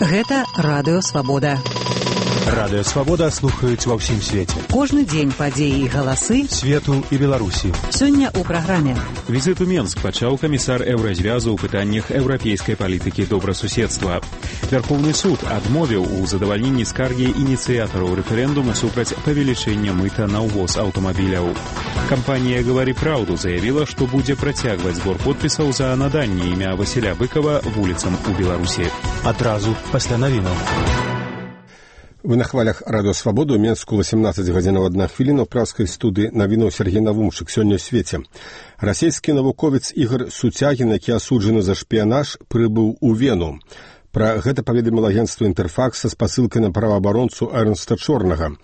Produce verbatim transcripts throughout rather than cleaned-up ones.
Гэта Радыё Свабода. Радыё Свабода слухаюць ва ўсім свеце. Кожны дзень падзеі і галасы свету і Беларусі. Сёння ў праграме. Візит у Менск пачаў камісар Еўразвязу ў пытаннях еўрапейскай палітыкі добрасуседства. Вярхоўны суд адмовіў у задавальненні скаргі ініцыятараў рэферэндуму супраць павелічэння мыта на ўвоз аўтамабіляў. Кампанія «Гавары праўду» заявіла, што будзе працягваць збор подпісаў за наданне імя Васіля Быкова вуліцам у Беларусі. Адразу пасля навінаў. Вы на хвалях Радыё Свабода, у Менску восемнадцать гадзінаў одна хвіліна, ў праўскай студыі навінаў Сергей Навумчык. Сёння ў свеце. Расійскі навуковец Ігор Суцягін, які асуджаны за шпіянаж, прыбыў у Вену. Пра гэта паведаміла агенцтва «Інтэрфакс» са спасылкай на праваабаронцу Эрнста Чорнага.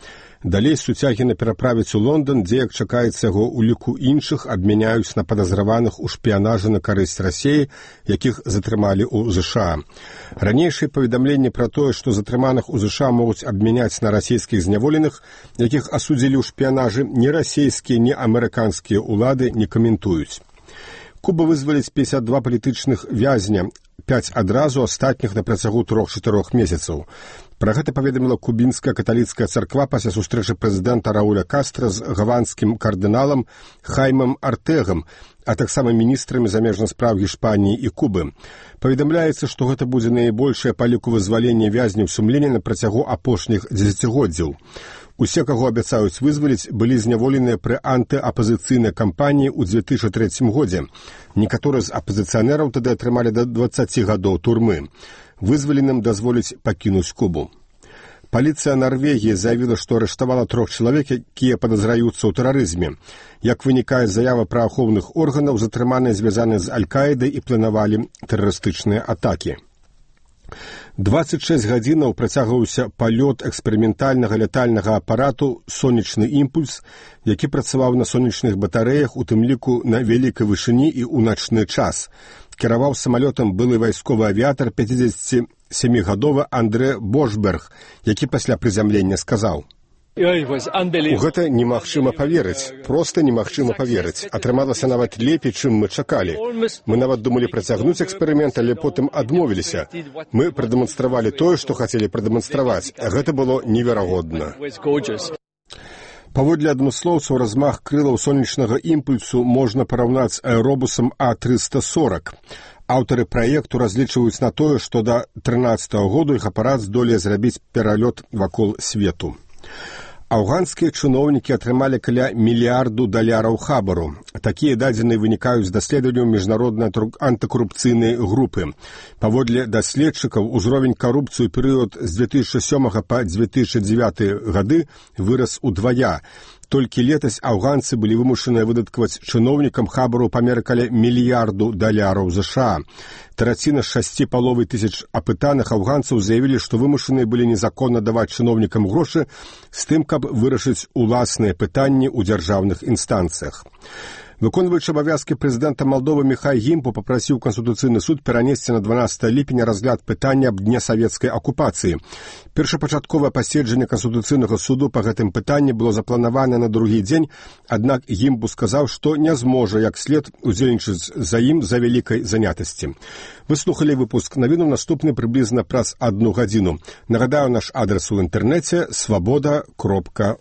Далей Суцягіна пераправіць у Лондан, дзе, як чакаецца яго ў ліку іншых, абмяняюць на падазраваных у шпіянажы на карысць Расіі, якіх затрымалі ў ЗША. Ранейшае паведамленне пра тое, што затрыманых у ЗША могуць абмяняць на расійскіх зняволеных, якіх асудзілі ў шпіянажы, ні расійскія, ні амерыканскія ўлады не каментуюць. Куба вызваліць пятьдесят два палітычных вязня, пяць адразу, астатніх на працягу трох-чатырох месяцаў. Пра гэта паведаміла кубінская каталіцкая царква пасля сустрэчы прэзідэнта Рауля Кастра з гаванскім кардыналам Хаймам Артэгам, а таксама міністрамі замежных спраў Гішпаніі і Кубы. Паведамляецца, што гэта будзе найбольшае па ліку вызвалення вязняў сумлення на працягу апошніх дзесяцігоддзяў. Усе, каго абяцаюць вызваліць, былі зняволеныя пры антыапазіцыйнай кампаніі ў две тысячы трэцім годзе. Некаторыя з апазіцыянераў тады атрымалі да дваццаці гадоў турмы. Вызваленым дазволіць пакінуць Кубу. Паліцыя Нарвегіі заявіла, што арыштавала трох чалавек, якія падазраюцца ў тэрарызме. Як вынікае з заявы праваахоўных органаў, затрыманыя звязаны з Аль-Каідай і планавалі тэрарыстычныя атакі. дваццаць шэсць гадзінаў працягваўся палёт эксперыментальнага лятальнага апарату «Сонечны імпульс», які працаваў на сонечных батарэях, у тым ліку на вялікай вышыні і ў начны час. Кіраваў самалётам былы вайсковы авіятар пяцідзесяцісямігадовы Андрэ Бошберг, які пасля прызямлення сказаў: «У гэта немагчыма паверыць, проста немагчыма паверыць. Атрымалася нават лепей, чым мы чакалі. Мы нават думалі працягнуць эксперымент, але потым адмовіліся. Мы прадэманстравалі тое, што хацелі прадэманстраваць, а гэта было неверагодна». Паводле адмыслоўцаў, размах крылаў сонечнага імпульсу можна параўнаць з аэробусам А трыста сорок. Аўтары праекту разлічваюць на тое, што да трынаццатага году іх апарат здолее зрабіць пералёт вакол свету. Афганскія чыноўнікі атрымалі каля мільярду даляраў хабару. Такія дадзеныя вынікаюць з даследаванняў міжнароднай антыкарупцыйнай групы. Паводле даследчыкаў, узровень карупцыі ў перыяд з две тысячы сёмага па две тысячы дзевяты гады вырас удвая. Толькі летась афганцы былі вымушаныя выдаткаваць чыноўнікам хабару памер каля мільярду даляраў ЗША. Траціна з шасці паловай тысяч апытаных афганцаў заявілі, што вымушаныя былі незаконна даваць чыноўнікам грошы з тым, каб вырашыць уласныя пытанні ў дзяржаўных інстанцыях. Выконваючы абавязкі прэзідэнта Малдовы Міхай Гімпу папрасіў Канстытуцыйны суд перанесці на дванаццатае ліпеня разгляд пытання аб дне савецкай акупацыі. Першапачатковае паседжанне Канстытуцыйнага суду па гэтым пытанні было запланавана на другі дзень, аднак Гімпу сказаў, што не зможа як след удзельнічаць за ім за вялікай занятасці. Вы слухалі выпуск навінаў, наступны прыблізна праз адну гадзіну. Нагадаю, наш адрас у інтэрнэце свабода кропка